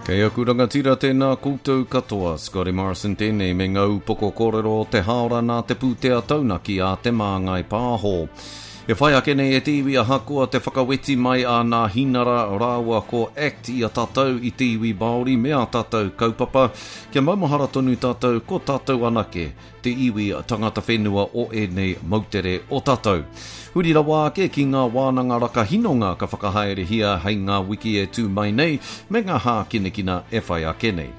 Kei aku rangatira tēnā koutou katoa, Scotty Morrison tēnei me ngā upoko kōrero o te hāora nā te pūtea taunaki a Te Māngai Pāho. E whai ake nei e te iwi ahakoa te whakaweti mai a Nāhinara rāua ko act i a tātou i te iwi Māori me ā tātou kaupapa, kia maumahara tonu tātou ko tātou anake te iwi tangata whenua o ēnei moutere o tātou. Huri rawa ake ki ngā wānanga rakahinonga ka whakahaerehia hei ngā wiki e tū mai nei me ngā hākinakina e whai ake nei.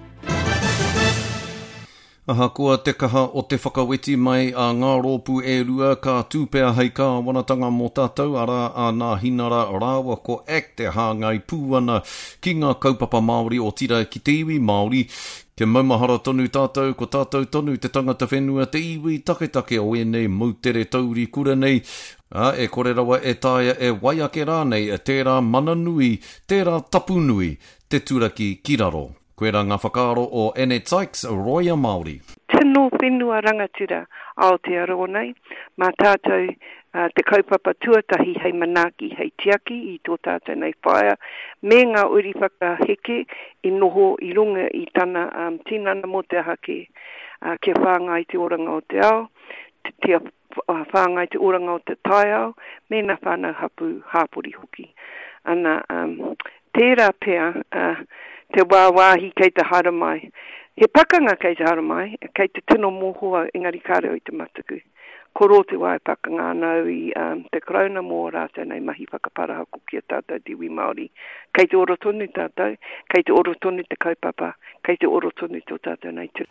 Ahakoa te kaha o te whakaweti mai a ngā rōpū e rua ka tū pea hei kāwanatanga mō tātou, arā a Nāhinara rāua ko act e hāngai pū ana ki ngā kaupapa Māori otirā ki te iwi Māori, Kia maumahara tonu tātou, ko tātou tonu te tangata whenua, te iwi taketake o ēnei moutere taurikura nei, ā, e kore rawa e taea e wai ake rānei tērā mana nui, tērā tapu nui, te turaki ki raro. Koirā ngā whakaaro o Annette Sykes, rōia Māori. Tino whenua rangatira Aotearoa nei, mā tātou te kaupapa tuatahi hei manaaki, hei tiaki i tō tātou nei whaea me ngā uri whakaheke i noho i runga i tana tinana mō te aha kē, kia whāngai te oranga o te ao, kia whāngai te oranga o te taiao me ngā whānau hapū, hāpori hoki. Ana, tērā pea te wāwāhi kei te haere mai. He pakanga kei te haere mai, kei te tino mōhio au, engari kāre au i te mataku. Koro te wā e pakanga ana au i te Karauna mō ā rātou nei mahi whakaparahako ki a tātou te iwi Māori. Kei te ora tonu tātou, kei te ora tonu te kaupapa, kei te ora tonu tō tātou nei ture.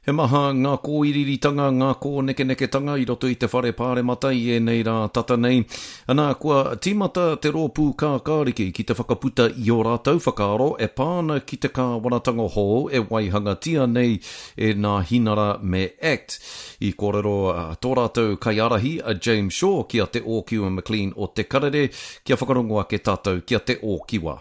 He maha ngā kōiriiritanga, ngā kōnekeneketanga i roto i te whare pāremata i ēnei rā tata nei. Anā, kua tīmata te rōpū kākāriki ki te whakaputa i ō rātou whakaaro e pā ana ki te kāwanatanga hou e waihangatia nei e Nāhinara me act. I kōrero tō rātou kaiārahi a James Shaw ki a Te Ōkiwa McLean o Te Karere kia whakarongo ake tātou ki a Te Ōkiwa.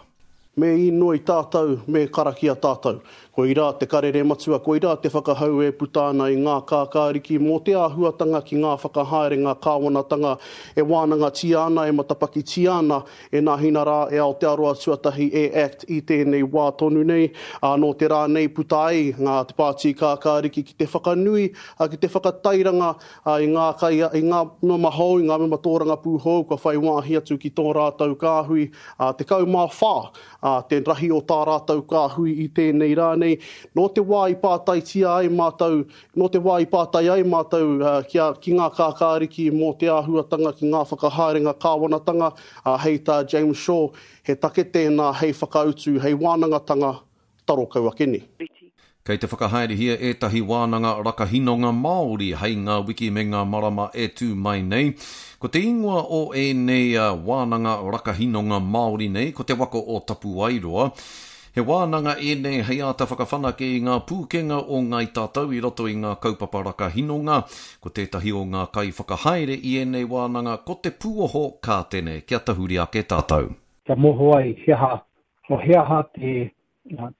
Me īnoi tātou, me karakia tātou. Koirā te karere matua, koirā te whakahau e puta ana i ngā kākāriki mō te āhuatanga ki ngā whakahaerenga kāwanatanga e wānangatia ana, e matapakitia ana E nāhina rā e Aotearoa Tuatahi e act i tēnei wā tonu nei, ā, nō te rā nei puta ai ngā Te Pāti Kākāriki ki te whakanui, ā, ki te whakatairanga, ā, i ngā kai, i ngā mema hou, i ngā mema tōrangapū hou kua whai wāhi atu ki tō rātou kāhui, ā, 14, ā, te rahi o tā rātou kāhui i tēnei rā nei. Nō te wā i pātaitia ai mātou Nō te wā i pātai ai mātou ki a, ki ngā kākāriki mō te āhuatanga ki ngā whakahaerenga kāwanatanga, ā, hei tā James Shaw, he take tēnā hei whakautu, hei wānangatanga taro kau ake nei. Kei te whakahaerehia ētahi wānanga rakahinonga Māori hei ngā wiki me ngā marama e tū mai nei. Ko te ingoa o ēnei wānanga rakahinonga Māori nei ko Te Waka o Tapuaeroa. He wānanga ēnei hei āta whakawhanake i ngā pūkenga o Ngāi Tātou i roto i ngā kaupapa rakahinonga. Ko tētahi o ngā kaiwhakahaere i ēnei wānanga ko Te Pūoho Kātene. Kia tahuri ake tātou. Kia mōhio ai he aha, he aha te,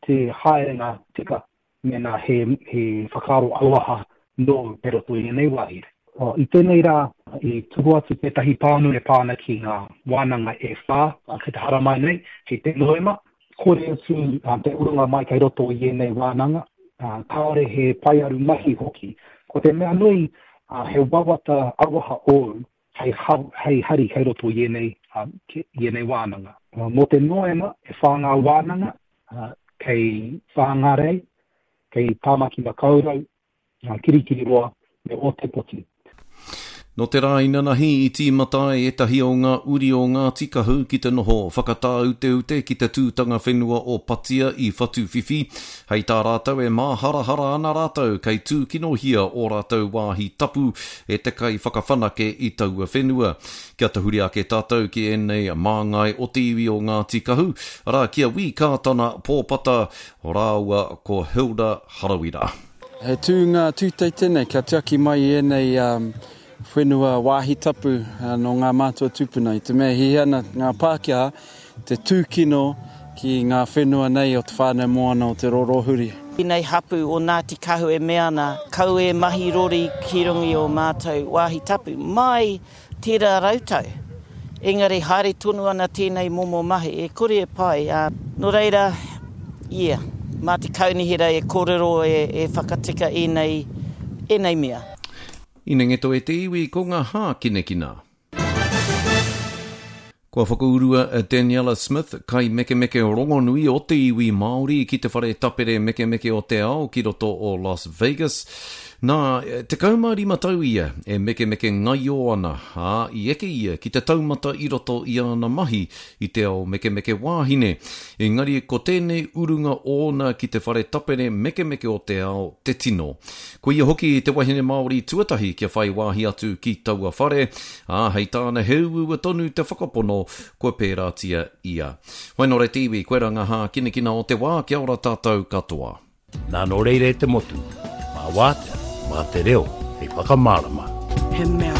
te haerenga tika mēnā he, he whakaaro auaha nōu kei roto i ēnei wāhi. I tēnei rā, i tuku atu tētahi pānui e pā ana ki ngā wānanga e whā kei te haramai nei, hei te Noema. Kore utu te urunga mai kei roto i ēnei wānanga, kāore he paearu mahi hoki. Ko te mea nui, he wawata auaha ōu hei, hei hari kei roto i ēnei, i ēnei wānanga. Mō te Noema, e whā ngā wānanga, kei Whāngārei, kei Tāmaki Makaurau, Kirikiriroa me Ōtepoti. Nō te rā inanahi i tīmata ai ētahi o ngā uri o Ngāti Kahu ki te noho whakatāuteute ki te tūtanga whenua o Patia i Whatuwhiwhi. Hei tā rātou e māharahara ana rātou kei tūkinohia ō rātou wāhi tapu e te kaiwhakawhanake i taua whenua. Kia tahuri ake tātou ki ēnei māngai o te iwi o Ngāti Kahu, arā, ki a Wī Kātana Pōpata rāua ko Hilda Harawira. He tūnga tūtei tēnei kia tiaki mai i ēnei whenua wāhi tapu nō ngā mātua tūpuna. I te mea e hiahia ana ngā Pākehā te tūkino ki ngā whenua nei o te whānau moana o Te Rorohuri. Tēnei hapu o Ngāti Kahu e mea ana, kau e mahi rori ki runga i o mātou wāhi tapu, mai tērā rautau. Engari haere tonu ana tēnei momo mahi, e kore e pai, ā, nō reira, Yeah, mā te kaunihera e kōrero e, e whakatika ēnei, ēnei mea. Inengeto e te iwi ko ngā hākinakina. Kua whakaurua a Daniella Smith, kaimekemeke rongonui o te iwi Māori ki te whare tapere mekemeke o te ao ki roto o Las Vegas. Nā, 15 tau ia e mekemeke ngaio ana, ā, i eke ia ki te taumata i roto i āna mahi i te ao mekemeke wāhine. Engari ko tēnei urunga ōna ki te whare tapere mekemeke o te ao te tino. Ko ia hoki te wahine Māori tuatahi kia whai wāhi atu ki taua whare, ā, hei tāna he uaua tonu te whakapono kua pērātia ia. Whainore te iwi, koirā ngā hākinakina o te wā, kia ora tātou katoa. Nā nō reira e te motu, mā Wātea, mā te reo hei whakamārama. He mea.